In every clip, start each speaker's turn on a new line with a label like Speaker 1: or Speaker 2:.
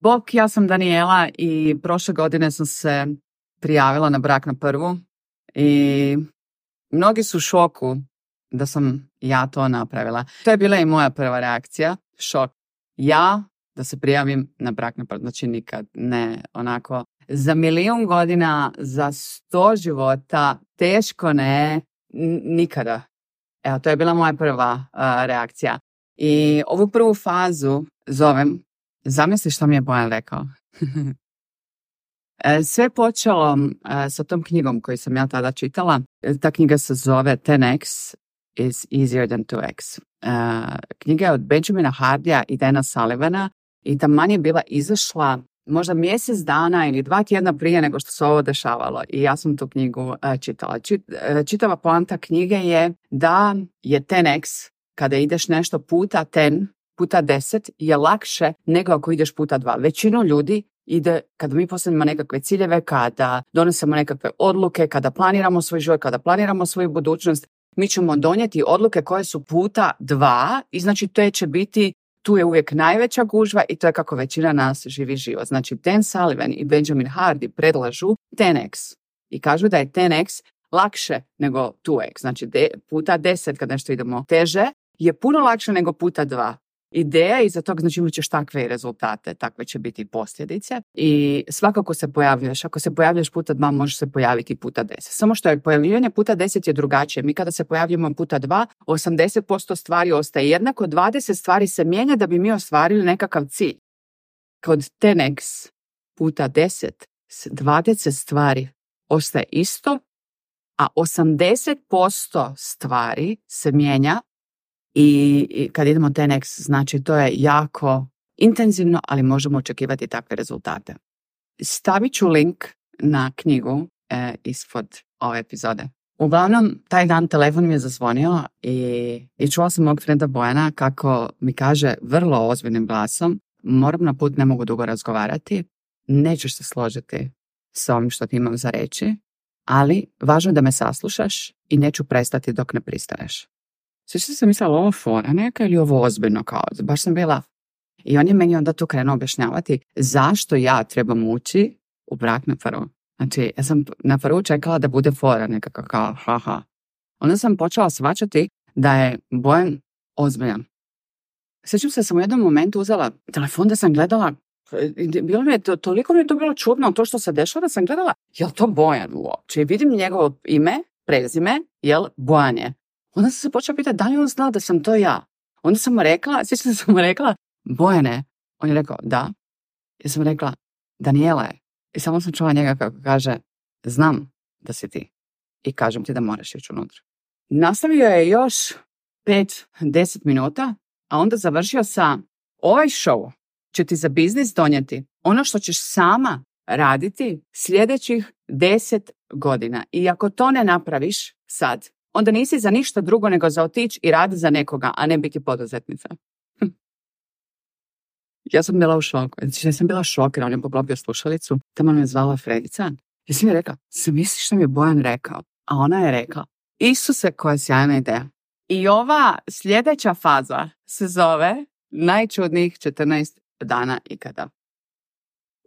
Speaker 1: Bok, ja sam Daniela i prošle godine sam se prijavila na brak na prvu i mnogi su u šoku da sam ja to napravila. To je bila i moja prva reakcija, šok. Ja da se prijavim na brak na prvu, znači nikad, ne, onako, za 1.000.000 godina, za 100 života, teško ne, nikada. Evo, to je bila moja prva reakcija. I ovu prvu fazu zovem, zamisli što mi je Bojan rekao. Sve je počelo sa tom knjigom koju sam ja tada čitala. Ta knjiga se zove 10x is easier than 2x. Knjiga je od Benjamina Hardija i Dana Sullivana i taman je bila izašla možda mjesec dana ili 2 tjedna prije nego što se ovo dešavalo. I ja sam tu knjigu čitala. Čitava poanta knjige je da je 10x, kada ideš nešto puta 10, puta 10 je lakše nego ako ideš puta 2. Većinu ljudi ide, kada mi postavimo nekakve ciljeve, kada donesemo nekakve odluke, kada planiramo svoj život, kada planiramo svoju budućnost, mi ćemo donijeti odluke koje su puta 2 i znači to će biti, tu je uvijek najveća gužva i to je kako većina nas živi život. Znači Dan Sullivan i Benjamin Hardy predlažu 10x i kažu da je 10x lakše nego 2x. Znači puta 10 kad nešto idemo teže je puno lakše nego puta 2. Ideja iza toga, znači imat ćeš takve rezultate, takve će biti posljedice i svakako se pojavljuješ. Ako se pojavljaš puta 2, možeš se pojaviti puta 10. Samo što je pojavljivanje puta 10 je drugačije. Mi kada se pojavljujemo puta 2, 80% stvari ostaje jednako, 20 stvari se mijenja da bi mi ostvarili nekakav cilj. Kod 10x puta 10, 20 stvari ostaje isto, a 80% stvari se mijenja. I kad idemo 10x, znači to je jako intenzivno, ali možemo očekivati takve rezultate. Stavit ću link na knjigu ispod ove epizode. Uglavnom, taj dan telefon mi je zazvonio i čula sam mog frenda Bojana kako mi kaže vrlo ozbiljnim glasom: moram na put, ne mogu dugo razgovarati, nećeš se složiti s ovim što ti imam za reći, ali važno je da me saslušaš i neću prestati dok ne pristaneš. Sve što sam mislila, ovo fora neka ili ovo ozbiljno, kao, baš sam bila. I on je meni onda tu krenuo objašnjavati zašto ja trebam ući u brak na prvu. Znači, ja sam na prvu čekala da bude fora nekako kao, haha. Onda sam počela shvaćati da je Bojan ozbiljan. Sjećam se, sam u jednom momentu uzela telefon da sam gledala, toliko mi je to bilo čudno to što se dešava da sam gledala, jel to Bojan uopće? Vidim njegovo ime, prezime, jel Bojan je. Onda sam se počela pitati da li on zna da sam to ja. Onda sam mu rekla, sjećam se sam mu rekla, Bojane. On je rekao, da. Ja sam rekla, Daniela je. I samo sam čula njega kako kaže, znam da si ti. I kažem ti da moraš ići unutra. Nastavio je još 5-10 minuta, a onda završio sa: ovaj show će ti za biznis donijeti ono što ćeš sama raditi sljedećih 10 godina. I ako to ne napraviš sad, onda nisi za ništa drugo nego za otići i raditi za nekoga, a ne biti poduzetnica. Ja sam bila u šoku. Ja sam bila šokirana, on je poklopio slušalicu, tamo me zvala Fredica. Ja sam je rekla, se misliš što mi je Bojan rekao? A ona je rekla, Isuse, koja sjajna ideja. I ova sljedeća faza se zove najčudnijih 14 dana ikada.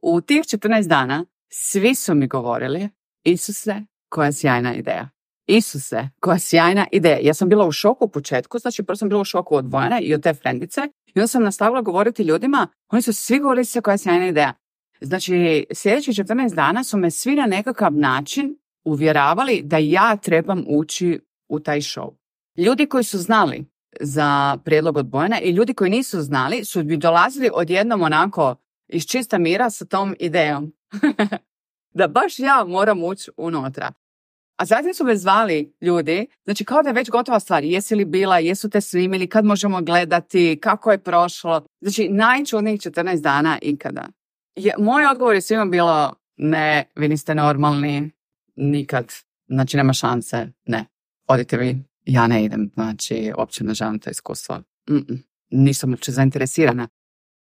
Speaker 1: U tih 14 dana svi su mi govorili, Isuse, koja sjajna ideja. Isuse, koja sjajna ideja. Ja sam bila u šoku u početku, znači prvo sam bila u šoku od Bojana i od te frendice i onda sam nastavila govoriti ljudima, oni su svi govorili se koja sjajna ideja. Znači, sljedećih 14 dana su me svi na nekakav način uvjeravali da ja trebam ući u taj show. Ljudi koji su znali za prijedlog od Bojana i ljudi koji nisu znali su bi dolazili odjednom onako iz čista mira sa tom idejom. Da baš ja moram ući unutra. A zatim su me zvali ljudi, znači kao da je već gotova stvar, jesi li bila, jesu te snimili, kad možemo gledati, kako je prošlo. Znači najčudnijih 14 dana ikada. Moj odgovor je svima bilo, ne, vi niste normalni, nikad, znači nema šanse, ne, odite vi, ja ne idem, znači uopće ne želim to iskustvo. Nisam uopće zainteresirana.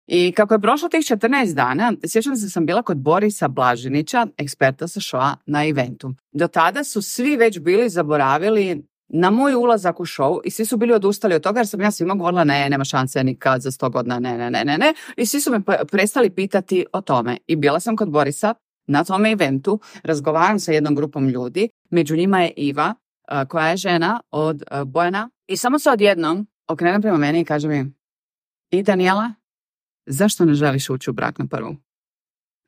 Speaker 1: I kako je prošlo tih 14 dana, sjećam se sam bila kod Borisa Blažinića, eksperta sa showa na eventu. Do tada su svi već bili zaboravili na moj ulazak u show i svi su bili odustali od toga jer sam ja svima govorila ne, nema šanse nikad za 100 godina, ne. I svi su me prestali pitati o tome. I bila sam kod Borisa na tome eventu, razgovaram sa jednom grupom ljudi, među njima je Iva, koja je žena od Bojana. I samo se odjednom okrene prema meni i kaže mi, i Daniela, zašto ne želiš ući u brak na prvu?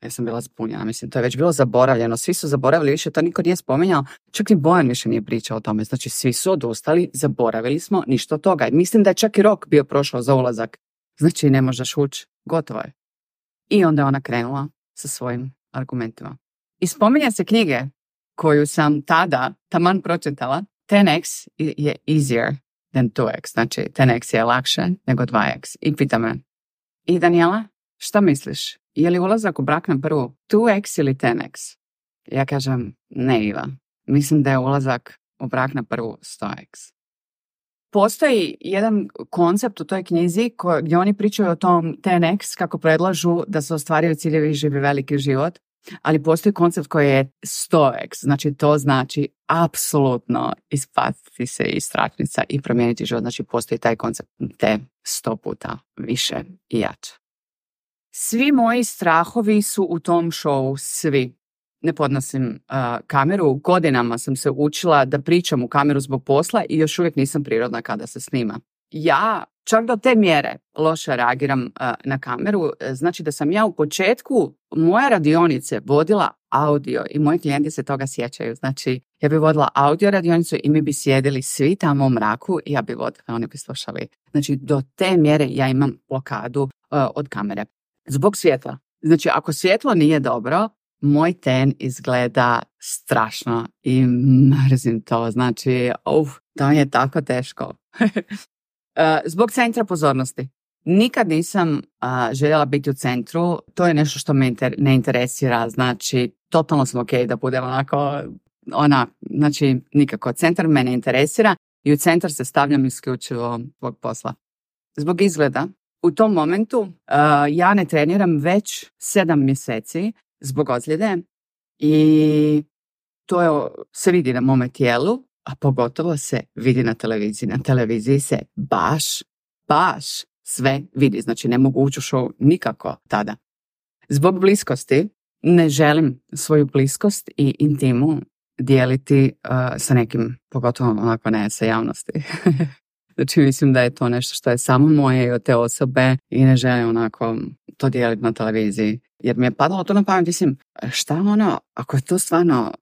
Speaker 1: Ja sam bila zbunjena, mislim, to je već bilo zaboravljeno, svi su zaboravili, više to niko nije spominjao, čak ni Bojan više nije pričao o tome, znači svi su odustali, zaboravili smo, ništa od toga. Mislim da je čak i rok bio prošao za ulazak, znači ne možeš ući, gotovo je. I onda je ona krenula sa svojim argumentima. I spominja se knjige koju sam tada taman pročitala, 10x je easier than 2x, znači 10x je lakše nego 2x. I pita me, i Daniela, šta misliš? Je li ulazak u brak na prvu 2x ili 10x? Ja kažem, ne Iva, mislim da je ulazak u brak na prvu 100x. Postoji jedan koncept u toj knjizi gdje oni pričaju o tom 10x kako predlažu da se ostvaraju ciljevi i živi veliki život, ali postoji koncept koji je 100x, znači to znači apsolutno ispatiti se iz strašnica i promijeniti život, znači postoji taj koncept te 100 puta više i jače. Svi moji strahovi su u tom showu, svi. Ne podnosim kameru, godinama sam se učila da pričam u kameru zbog posla i još uvijek nisam prirodna kada se snima. Ja čak do te mjere loše reagiram na kameru, znači da sam ja u početku moje radionice vodila audio i moji klijenti se toga sjećaju. Znači ja bi vodila audio radionicu i mi bi sjedili svi tamo u mraku i ja bi vodila, oni bi slušali. Znači do te mjere ja imam blokadu od kamere. Zbog svjetla. Znači ako svjetlo nije dobro, moj ten izgleda strašno i mrzim to. Znači, to je tako teško. Zbog centra pozornosti. Nikad nisam željela biti u centru. To je nešto što me ne interesira. Znači, totalno sam ok da budem onako, znači nikako. Centar me ne interesira i u centar se stavljam isključivo zbog posla. Zbog izgleda. U tom momentu ja ne treniram već 7 mjeseci zbog ozljede i to se vidi na mome tijelu, a pogotovo se vidi na televiziji. Na televiziji se baš sve vidi, znači ne mogu ući u show nikako tada. Zbog bliskosti ne želim svoju bliskost i intimu dijeliti sa nekim, pogotovo onako ne sa javnosti. Znači mislim da je to nešto što je samo moje i od te osobe i ne želim onako to dijeliti na televiziji. Jer mi je padalo to na pamet, mislim, šta ako je to stvarno,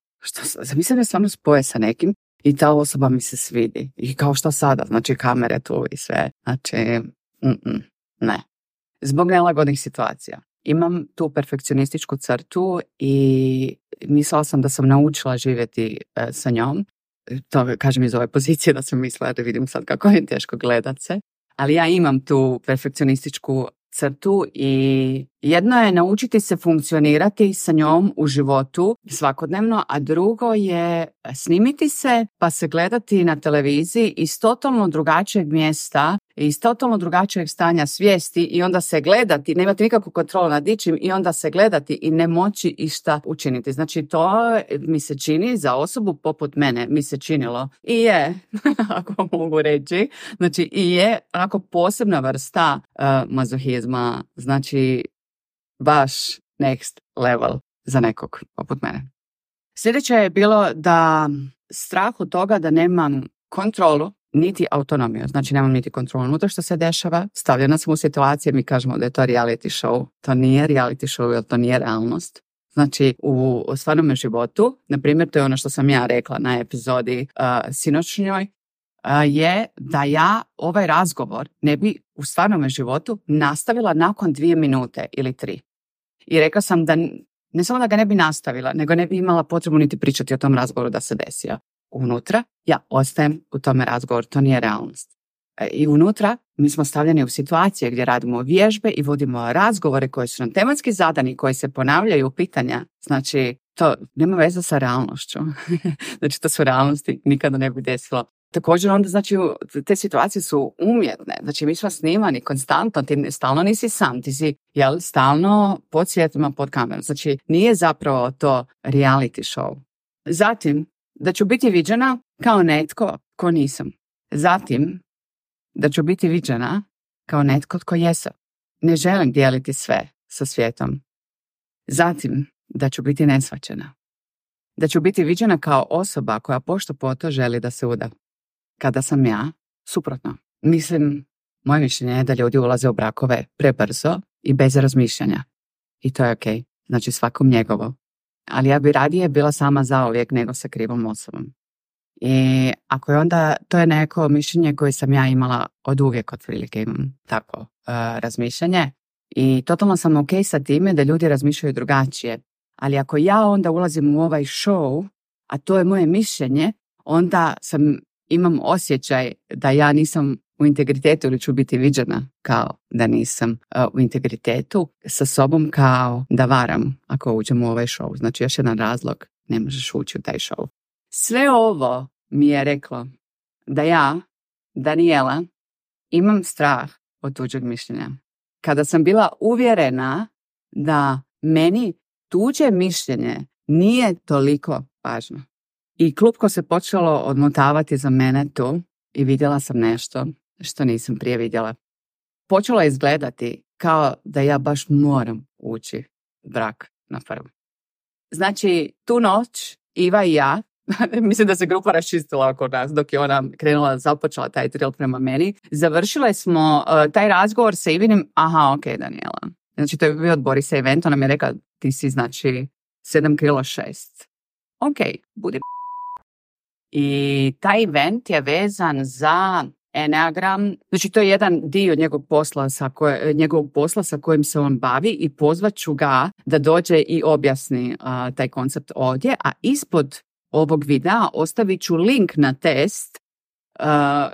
Speaker 1: zamislim da stvarno spoje sa nekim i ta osoba mi se svidi. I kao što sada, znači kamere tu i sve. Znači, ne. Zbog nelagodnih situacija. Imam tu perfekcionističku crtu i mislila sam da sam naučila živjeti sa njom. To kažem iz ove pozicije da sam mislila da vidim sad kako je teško gledat se. Ali ja imam tu perfekcionističku crtu i jedno je naučiti se funkcionirati sa njom u životu svakodnevno, a drugo je snimiti se pa se gledati na televiziji iz totalno drugačijeg mjesta, iz totalno drugačijeg stanja svijesti i onda se gledati, nemati nikakvu kontrolu nad ničim i onda se gledati i ne moći išta učiniti. Znači to mi se čini za osobu poput mene, mi se činilo i je, ako mogu reći, znači i je onako posebna vrsta mazohizma, znači baš next level za nekog poput mene. Sljedeće je bilo da strah od toga da nemam kontrolu niti autonomiju, znači nemam niti kontrolu unutra što se dešava, stavljena sam u situacije, mi kažemo da je to reality show, to nije reality show jer to nije realnost. Znači u stvarnom životu, na primjer to je ono što sam ja rekla na epizodi sinoćnjoj, je da ja ovaj razgovor ne bi u stvarnom životu nastavila nakon 2 minute ili 3. I rekla sam da ne samo da ga ne bi nastavila, nego ne bi imala potrebu niti pričati o tom razgovoru da se desio. Unutra ja ostajem u tome razgovoru, to nije realnost. I unutra mi smo stavljeni u situacije gdje radimo vježbe i vodimo razgovore koji su nam tematski zadani, koji se ponavljaju pitanja. Znači, to nema veze sa realnošću. Znači, to su realnosti, nikada ne bi desilo. Također onda, znači, te situacije su umjetne. Znači, mi smo snimani konstantno, ti stalno nisi sam, ti si stalno pod svjetlima, pod kamerom. Znači, nije zapravo to reality show. Zatim, da ću biti viđena kao netko ko nisam. Zatim, da ću biti viđena kao netko tko jesam. Ne želim dijeliti sve sa svijetom. Zatim, da ću biti neshvaćena. Da ću biti viđena kao osoba koja pošto poto želi da se uda. Kada sam ja, suprotno. Mislim, moje mišljenje je da ljudi ulaze u brakove prebrzo i bez razmišljanja. I to je okej. Znači svakom njegovo. Ali ja bi radije bila sama zauvijek nego sa krivom osobom. I ako je onda, to je neko mišljenje koje sam ja imala od uvijek, otprilike imam tako razmišljanje. I totalno sam ok sa time da ljudi razmišljaju drugačije. Ali ako ja onda ulazim u ovaj show, a to je moje mišljenje, onda imam osjećaj da ja nisam u integritetu ili ću biti viđena kao da nisam u integritetu sa sobom, kao da varam ako uđem u ovaj show. Znači još jedan razlog, ne možeš ući u taj show. Sve ovo mi je reklo da ja, Daniela, imam strah od tuđeg mišljenja. Kada sam bila uvjerena da meni tuđe mišljenje nije toliko važno. I klupko se počelo odmotavati za mene tu i vidjela sam nešto što nisam prije vidjela. Počelo je izgledati kao da ja baš moram ući u brak na prvu. Znači, tu noć Iva i ja, mislim da se grupa raščistila oko nas dok je ona započela taj drill prema meni, završile smo taj razgovor sa Ivinim, ok, Daniela. Znači, to je bio od Borisa event, ona mi je rekla, ti si znači 7 kilo 6. Ok, budi. I taj event je vezan za Enneagram, znači to je jedan dio njegovog posla sa kojim se on bavi i pozvat ću ga da dođe i objasni taj koncept ovdje, a ispod ovog videa ostavit ću link na test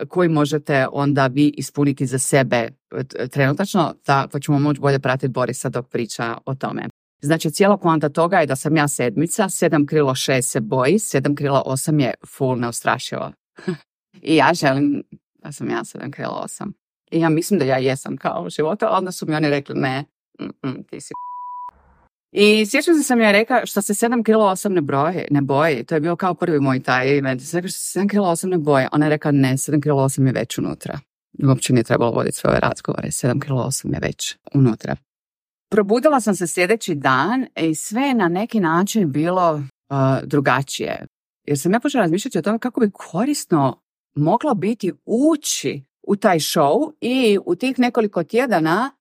Speaker 1: koji možete onda vi ispuniti za sebe trenutačno, pa ćemo moći bolje pratiti Borisa dok priča o tome. Znači, cijela poanta toga je da sam ja 7, 7 krilo 6 se boji, 7 krilo 8 je full neustrašivo. I ja želim da sam ja 7 krilo 8. I ja mislim da ja jesam kao u životu, a onda su mi oni rekli ne, ti si. I sjećam se da sam ja rekla što se 7 kilo 8 ne boji. To je bio kao prvi moj taj event. Rekla što se 7 kilo 8 ne boji. Ona je rekla ne, 7 kilo 8 je već unutra. Uopće nije trebalo voditi svoje razgovore. 7 kilo 8 je već unutra. Probudila sam se sljedeći dan i sve je na neki način bilo drugačije. Jer sam ja počela razmišljati o tome kako bi korisno moglo biti ući u taj show i u tih nekoliko tjedana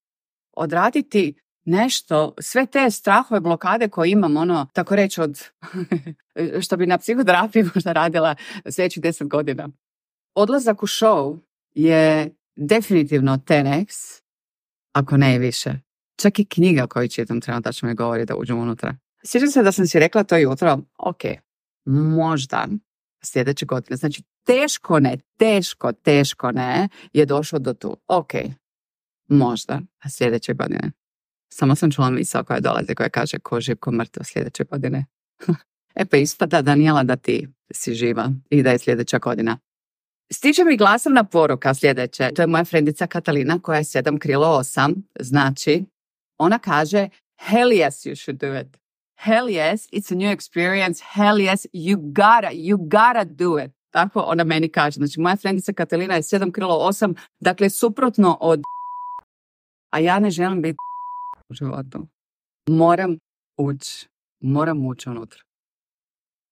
Speaker 1: odraditi nešto, sve te strahove, blokade koje imam, tako reći od, što bi na psihoterapiji možda radila sljedećih 10 godina. Odlazak u show je definitivno 10x, ako ne i više. Čak i knjiga koju čitam trenutačno mi govori da uđem unutra. Sjećam se da sam si rekla to jutro, ok, možda sljedeće godine. Znači, teško ne je došlo do tu. Ok, možda sljedeće godine. Samo sam čula misao koja dolazi, koja kaže ko živ, ko mrtav sljedeće godine. Pa ispada, Daniela, da ti si živa i da je sljedeća godina. Stiže mi glasovna poruka sljedeće. To je moja frendica Katalina koja je 7 krilo 8. Znači, ona kaže, hell yes, you should do it. Hell yes, it's a new experience. Hell yes, you gotta do it. Tako ona meni kaže. Znači, moja frendica Katalina je 7 krilo 8. Dakle, suprotno od... A ja ne želim biti u životu. Moram ući unutra.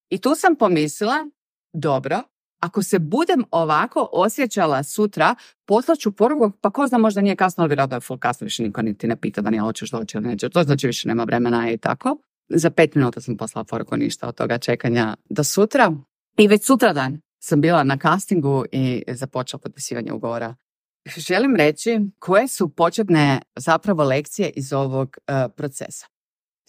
Speaker 1: I tu sam pomislila, dobro, ako se budem ovako osjećala sutra, poslaću poruku, pa ko zna, možda nije kasno, ali vjerojatno je full kasno, više niko niti ne pita da nije hoćeš doći ili neće. To znači više nema vremena i tako. Za 5 minuta sam poslala poruku, ništa od toga čekanja do sutra. I već sutradan sam bila na castingu i započela potpisivanje ugovora. Želim reći koje su početne zapravo lekcije iz ovog procesa.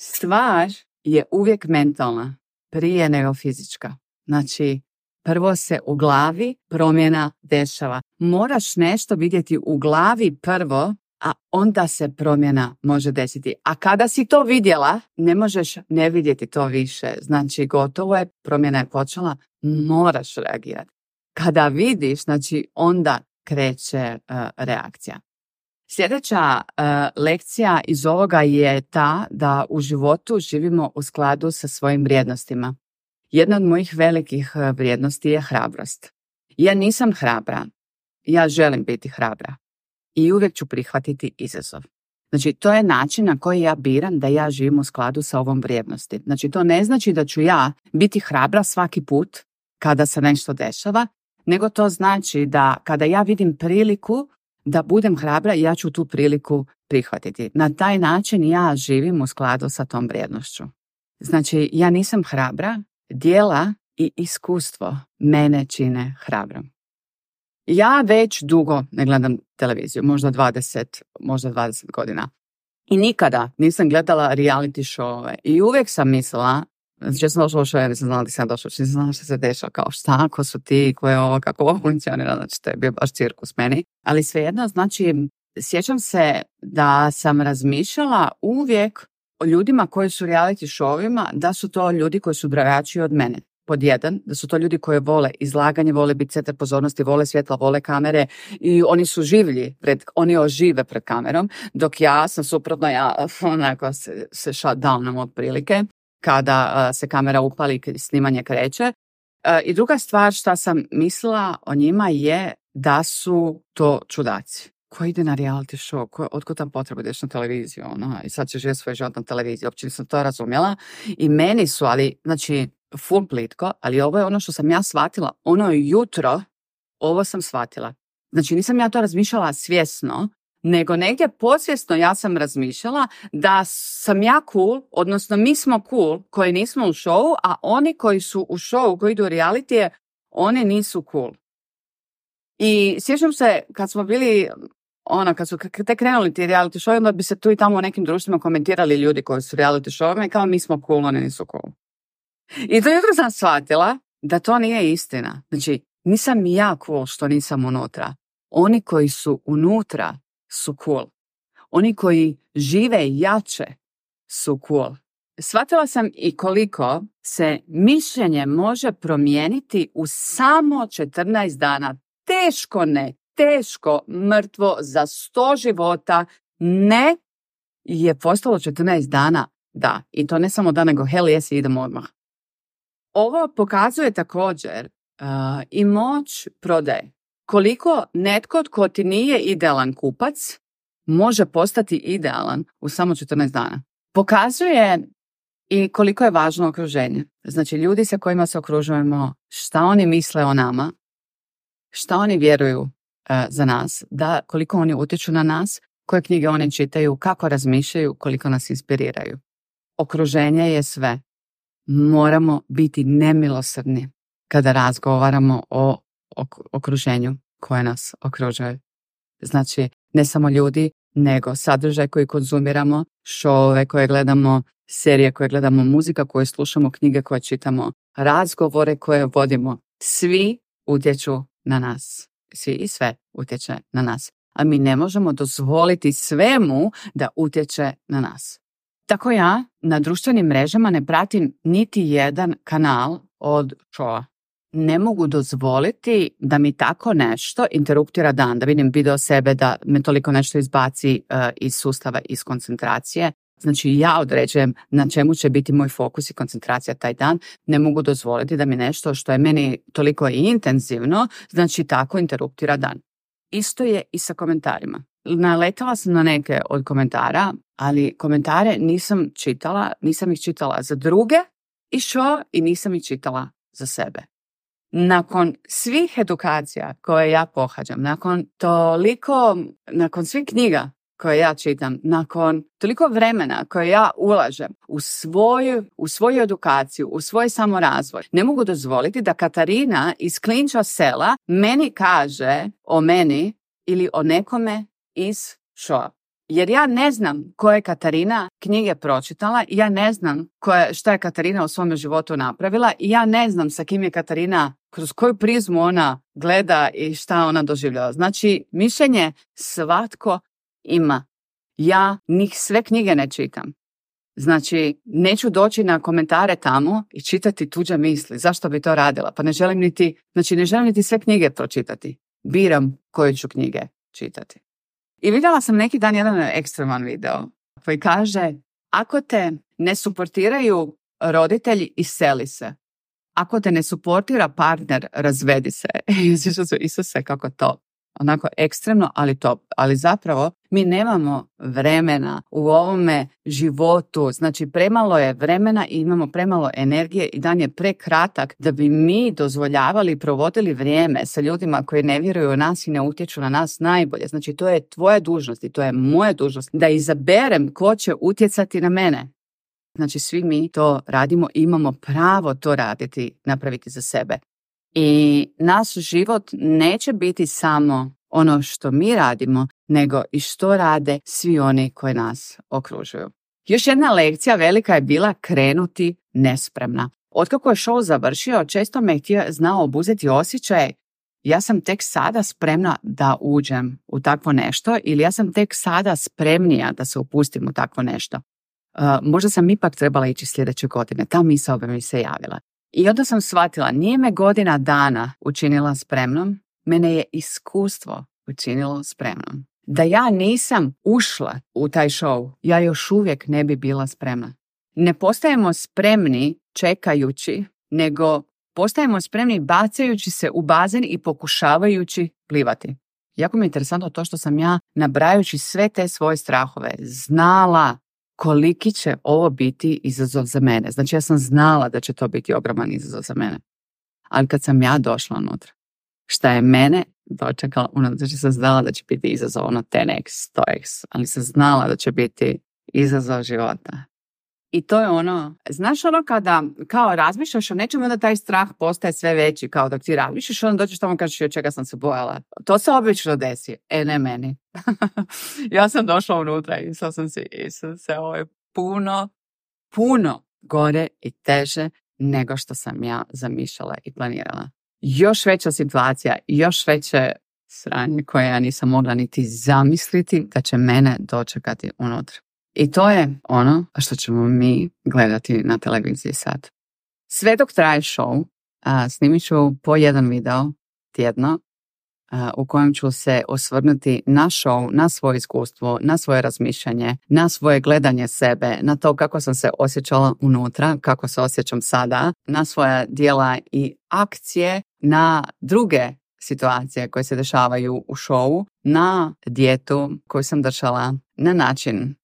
Speaker 1: Stvar je uvijek mentalna prije nego fizička. Znači, prvo se u glavi promjena dešava. Moraš nešto vidjeti u glavi prvo, a onda se promjena može desiti. A kada si to vidjela, ne možeš ne vidjeti to više. Znači, gotovo je, promjena je počela, moraš reagirati. Kada vidiš, znači, onda kreće reakcija. Sljedeća lekcija iz ovoga je ta da u životu živimo u skladu sa svojim vrijednostima. Jedna od mojih velikih vrijednosti je hrabrost. Ja nisam hrabra, ja želim biti hrabra i uvijek ću prihvatiti izazov. Znači, to je način na koji ja biram da ja živim u skladu sa ovom vrijednosti. Znači, to ne znači da ću ja biti hrabra svaki put kada se nešto dešava, nego to znači da kada ja vidim priliku da budem hrabra, ja ću tu priliku prihvatiti. Na taj način ja živim u skladu sa tom vrijednošću. Znači, ja nisam hrabra, djela i iskustvo mene čine hrabrom. Ja već dugo ne gledam televiziju, možda 20 godina. I nikada nisam gledala reality showove. I uvijek sam mislila, znači ja sam došla u show, ja nisam znala da sam došla, nisam znala što se dešava, kao šta, ko su ti, ko je ovo, kako ovo funkcionira, znači to je bio baš cirkus meni. Ali svejedno, znači, sjećam se da sam razmišljala uvijek o ljudima koji su reality showima, da su to ljudi koji su drugačiji od mene. Pod jedan, da su to ljudi koji vole izlaganje, vole biti centar pozornosti, vole svjetla, vole kamere i oni su življi, oni ožive pred kamerom, dok ja sam suprotno, ja onako se shutdownom otprilike kada se kamera upali i snimanje kreće. I druga stvar što sam mislila o njima je da su to čudaci. Ko ide na reality show? Otkud tam potreba ideš na televiziju? I sad će živjeti svoj život na televiziji. Uopće nisam to razumjela. I meni su, ali, znači, full plitko, ali ovo je ono što sam ja shvatila. Ono jutro, ovo sam shvatila. Znači, nisam ja to razmišljala svjesno, nego negdje podsvjesno ja sam razmišljala da sam ja cool, odnosno mi smo cool koji nismo u showu, a oni koji su u showu, koji idu u realitije, oni nisu cool. I sjećam se kad smo bili, kad su te krenuli ti reality show, onda bi se tu i tamo u nekim društvima komentirali ljudi koji su reality showima i kao mi smo cool, oni nisu cool. I to jutro sam shvatila da to nije istina. Znači, nisam ja cool što nisam unutra. Oni koji su unutra su cool. Oni koji žive jače su cool. Shvatila sam i koliko se mišljenje može promijeniti u samo 14 dana. Teško, mrtvo za 100 života. Ne je postalo 14 dana. Da, i to ne samo da, nego hell yes, idemo odmah. Ovo pokazuje također i moć prodaje. Koliko netko tko ti nije idealan kupac može postati idealan u samo 14 dana. Pokazuje i koliko je važno okruženje. Znači, ljudi sa kojima se okružujemo, šta oni misle o nama, šta oni vjeruju za nas, da koliko oni utječu na nas, koje knjige oni čitaju, kako razmišljaju, koliko nas inspiriraju. Okruženje je sve. Moramo biti nemilosrdni kada razgovaramo o okruženju koje nas okružuje. Znači, ne samo ljudi, nego sadržaj koji konzumiramo, šove koje gledamo, serije koje gledamo, muzika koju slušamo, knjige koje čitamo, razgovore koje vodimo. Svi utječu na nas. Svi i sve utječe na nas. A mi ne možemo dozvoliti svemu da utječe na nas. Tako ja na društvenim mrežama ne pratim niti jedan kanal od showa. Ne mogu dozvoliti da mi tako nešto interruptira dan, da vidim video sebe, da me toliko nešto izbaci iz sustava, iz koncentracije. Znači, ja određujem na čemu će biti moj fokus i koncentracija taj dan. Ne mogu dozvoliti da mi nešto što je meni toliko intenzivno, znači tako interruptira dan. Isto je i sa komentarima. Naletala sam na neke od komentara, ali komentare nisam ih čitala za druge i nisam ih čitala za sebe. Nakon svih edukacija koje ja pohađam, nakon svih knjiga koje ja čitam, nakon toliko vremena koje ja ulažem u svoju edukaciju, u svoj samorazvoj, ne mogu dozvoliti da Katarina iz Klinča sela meni kaže o meni ili o nekome iz showa. Jer ja ne znam koja je Katarina knjige pročitala, ja ne znam šta je Katarina u svom životu napravila i ja ne znam sa kim je Katarina, kroz koju prizmu ona gleda i šta ona doživljava. Znači, mišljenje svatko ima. Ja sve knjige ne čitam. Znači, neću doći na komentare tamo i čitati tuđe misli. Zašto bi to radila? Pa ne želim niti sve knjige pročitati. Biram koje ću knjige čitati. I vidjela sam neki dan jedan ekstreman video koji kaže: ako te ne suportiraju roditelji, iseli se. Ako te ne suportira partner, razvedi se. Isuse, kako to. Onako ekstremno, ali top. Ali zapravo mi nemamo vremena u ovome životu. Znači premalo je vremena i imamo premalo energije i dan je prekratak da bi mi dozvoljavali i provodili vrijeme sa ljudima koji ne vjeruju u nas i ne utječu na nas najbolje. Znači to je tvoja dužnost i to je moja dužnost da izaberem ko će utjecati na mene. Znači svi mi to radimo i imamo pravo to raditi, napraviti za sebe. I naš život neće biti samo ono što mi radimo, nego i što rade svi oni koji nas okružuju. Još jedna lekcija velika je bila krenuti nespremna. Otkako je show završio, često me znao obuzeti osjećaj ja sam tek sada spremna da uđem u takvo nešto ili ja sam tek sada spremnija da se upustim u takvo nešto. Možda sam ipak trebala ići sljedeće godine. Ta misao bi mi se javila. I onda sam shvatila, nije me godina dana učinila spremnom, mene je iskustvo učinilo spremnom. Da ja nisam ušla u taj show, ja još uvijek ne bi bila spremna. Ne postajemo spremni čekajući, nego postajemo spremni bacajući se u bazen i pokušavajući plivati. Jako mi je interesantno to što sam ja, nabrajajući sve te svoje strahove, znala koliki će ovo biti izazov za mene. Znači ja sam znala da će to biti ogroman izazov za mene. Ali kad sam ja došla unutra, šta je mene dočekala, znači sam znala da će biti izazov 10x, 100x, ali sam znala da će biti izazov života. I to je znaš kada kao razmišljaš o nečemu, onda taj strah postaje sve veći, kao dok ti razmišljaš, onda dođeš tamo i kažeš od čega sam se bojala. To se obično desi, ne meni. Ja sam došla unutra i sam se ovo je puno gore i teže nego što sam ja zamišljala i planirala. Još veća situacija, još veće sranje koje ja nisam mogla niti zamisliti da će mene dočekati unutra. I to je ono što ćemo mi gledati na televiziji sad. Sve dok traje show, snimit ću po jedan video tjedno u kojem ću se osvrnuti na show, na svoje iskustvo, na svoje razmišljanje, na svoje gledanje sebe, na to kako sam se osjećala unutra, kako se osjećam sada, na svoja djela i akcije, na druge situacije koje se dešavaju u showu, na dijetu koju sam držala, na način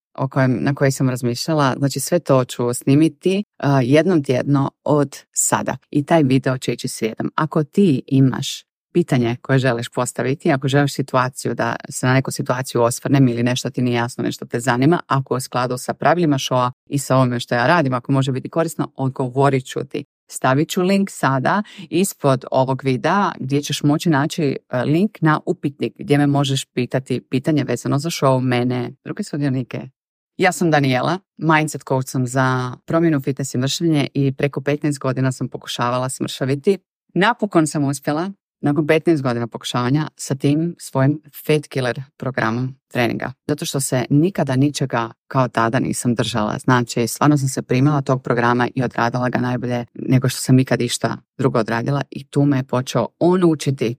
Speaker 1: na koji sam razmišljala. Znači sve to ću snimiti jednom tjedno od sada. I taj video će ići srijedom. Ako ti imaš pitanje koje želiš postaviti, ako želiš situaciju da se na neku situaciju osvrnem ili nešto ti nije jasno, nešto te zanima, ako u skladu sa pravilima showa i sa ovome što ja radim, ako može biti korisno, odgovorit ću ti. Stavit ću link sada ispod ovog videa gdje ćeš moći naći link na upitnik gdje me možeš pitati pitanje vezano za show, mene, druge sudionike. Ja sam Daniela, mindset coach sam za promjenu, fitness i mršavljenje i preko 15 godina sam pokušavala smršaviti. Napokon sam uspjela, nakon 15 godina pokušavanja, sa tim svojim Fat Killer programom treninga. Zato što se nikada ničega kao tada nisam držala. Znači, stvarno sam se primila tog programa i odradila ga najbolje nego što sam ikad išta drugo odradila i tu me je počeo on učiti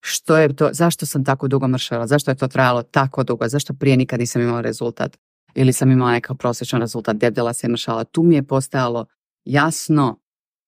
Speaker 1: što je to, zašto sam tako dugo mršavila, zašto je to trajalo tako dugo, zašto prije nikad nisam imala rezultat ili sam imala nekakav prosječan rezultat, debljala se i mršala. Tu mi je postajalo jasno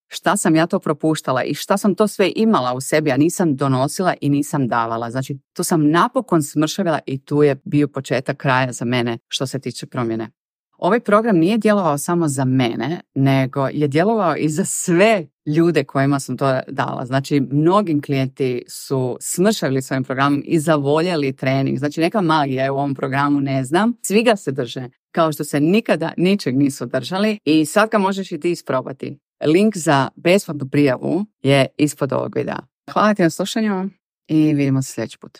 Speaker 1: šta sam ja to propuštala i šta sam to sve imala u sebi, a nisam donosila i nisam davala. Znači, tu sam napokon smršavila i tu je bio početak kraja za mene što se tiče promjene. Ovaj program nije djelovao samo za mene, nego je djelovao i za sve ljude kojima sam to dala. Znači, mnogim klijenti su smršavili svojim programom i zavoljeli trening. Znači, neka magija je u ovom programu, ne znam. Svi ga se drže, kao što se nikada ničeg nisu držali i sad ga možeš i ti isprobati. Link za besplatnu prijavu je ispod ovog videa. Hvala ti na slušanju i vidimo se sljedeći put.